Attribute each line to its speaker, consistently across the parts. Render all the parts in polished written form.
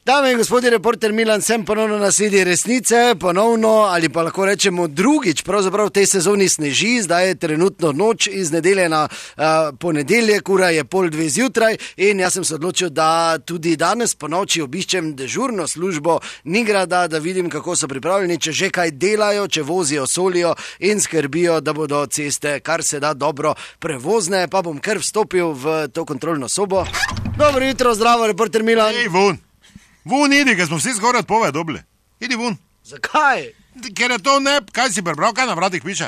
Speaker 1: Dame in gospodje, reporter Milan, sem ponovno na sredi resnice, ponovno ali pa lahko rečemo drugič, pravzaprav v tej sezoni sneži, zdaj je trenutno noč iz nedelje na ponedeljek, ura je 1:30 zjutraj in jaz sem se odločil, da tudi danes po noči obiščem dežurno službo Nigrada, da vidim, kako so pripravljeni, če že kaj delajo, če vozijo, solijo in skrbijo, da bodo ceste kar se da dobro prevozne, pa bom kar vstopil v to kontrolno sobo. Dobro jutro, zdravo, reporter Milan.
Speaker 2: Ej, Vun, idi, ker smo vsi skoraj odpove dobili. Idi vun.
Speaker 1: Zakaj?
Speaker 2: Ker je to ne, kaj si prebral, kaj na vratih piše?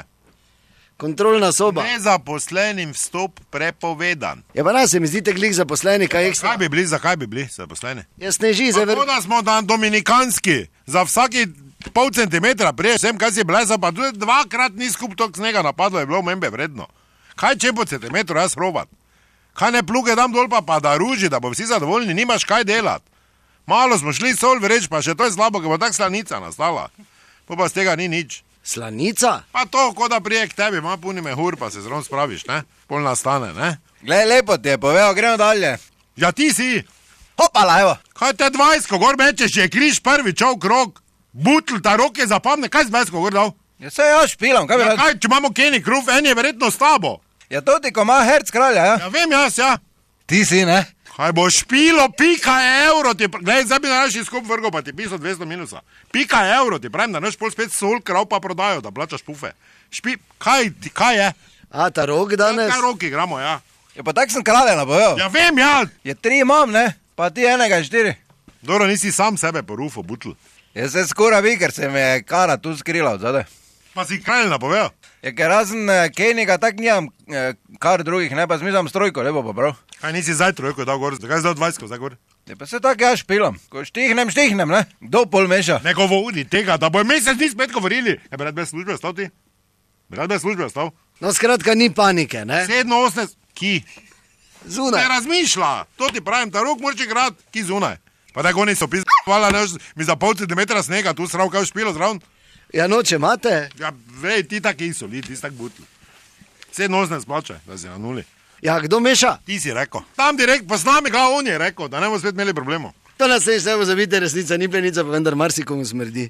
Speaker 1: Kontrolna soba.
Speaker 2: Nezaposlenim vstop prepovedan.
Speaker 1: Ja pa nas se mi zdite glih zaposleni, kaj ekstra.
Speaker 2: Zakaj bi bili zaposleni?
Speaker 1: Ja sneži,
Speaker 2: Tako da smo na dominikanski, za vsaki pol centimetra priješ sem, kaj si blesa, pa tudi dvakrat ni skup tok snega napadlo, je bilo membe vredno. Kaj če po centimetru jaz robat? Kaj ne pluge dam dol pa da ruži, da bo vsi zadovoljni, nimaš kaj delat. Malo smo šli sol vreč, pa še to je slabo, ker bo tak slanica nastala. Pa z tega ni nič.
Speaker 1: Slanica?
Speaker 2: Pa to, ko da prije k tebi, ima puni mehur, pa se zron spraviš, ne? Pol nastane, ne?
Speaker 3: Glej, lepo ti je povedal, gremo dalje.
Speaker 2: Ja, ti si.
Speaker 3: Hopala, evo.
Speaker 2: Kaj te 20, gor mečeš, je križ prvi čov krog. Butl, ta roke zapamne, kaj z 20 gor dal?
Speaker 3: Ja, se jaz špilam, kaj bi
Speaker 2: Ja,
Speaker 3: rad?
Speaker 2: kaj, če imamo Kenny Kruf, en je verjetno s tabo.
Speaker 3: Ja, to ti, ko ima herc kralja, ja?
Speaker 2: Ja, vem jaz, ja.
Speaker 3: Ti si, ne?
Speaker 2: Kaj bo špilo, pika evro ti, glej, zdaj bi naši skup vrgo, pa ti pisal 200 minusa. Pika evro ti, pravim, da naš pol spet sol krav pa prodajo, da plačaš pufe. Kaj je?
Speaker 1: A, ta rok danes?
Speaker 2: Kaj roki igramo, ja.
Speaker 3: Ja, pa tak sem kralja napovedal.
Speaker 2: Ja, vem, ja.
Speaker 3: Ja, 3 imam, ne? Pa ti enega 4.
Speaker 2: Dobro, nisi sam sebe porufo, butl.
Speaker 3: Ja, se skoraj vi, ker se me je kara tu skrila od zadaj.
Speaker 2: Pa si kralj napovedal.
Speaker 3: Ja, ker razen Kennyga tak nijam kar drugih, ne? Pa zmizam strojko, lepo pa prav.
Speaker 2: Kaj nisi zdaj trojko dal gor, zakaj si dal 20 zdaj gor?
Speaker 3: Ja, pa se tak jaz špilam. Ko štihnem, ne? Kdo pol meša?
Speaker 2: Ne govori tega, da bo mesec dni spet govorili. Ja, bi rad bez službe ostal ti? Bi rad bez službe ostal?
Speaker 1: No, skratka, ni panike, ne?
Speaker 2: 7-8, ki?
Speaker 1: Zunaj.
Speaker 2: Ne razmišlja, to ti pravim, ta rok moraš igrati, ki zunaj. Pa tako oni so hvala, ne, mi za pol centimetra snega, tu srav kaj špilo zraven.
Speaker 1: Ja, noče imate?
Speaker 2: Ja, vej, ti taki soli, ti si tak butl. 7-8 splače, da si na nuli.
Speaker 1: Ja, kdo meša?
Speaker 2: Ti si rekel. Tam direkt, pa s nami ga on je rekel, da ne bomo spet imeli problemov.
Speaker 1: To nas ne bo zavite, resnica ni plenica, pa vendar marsikomu smrdi.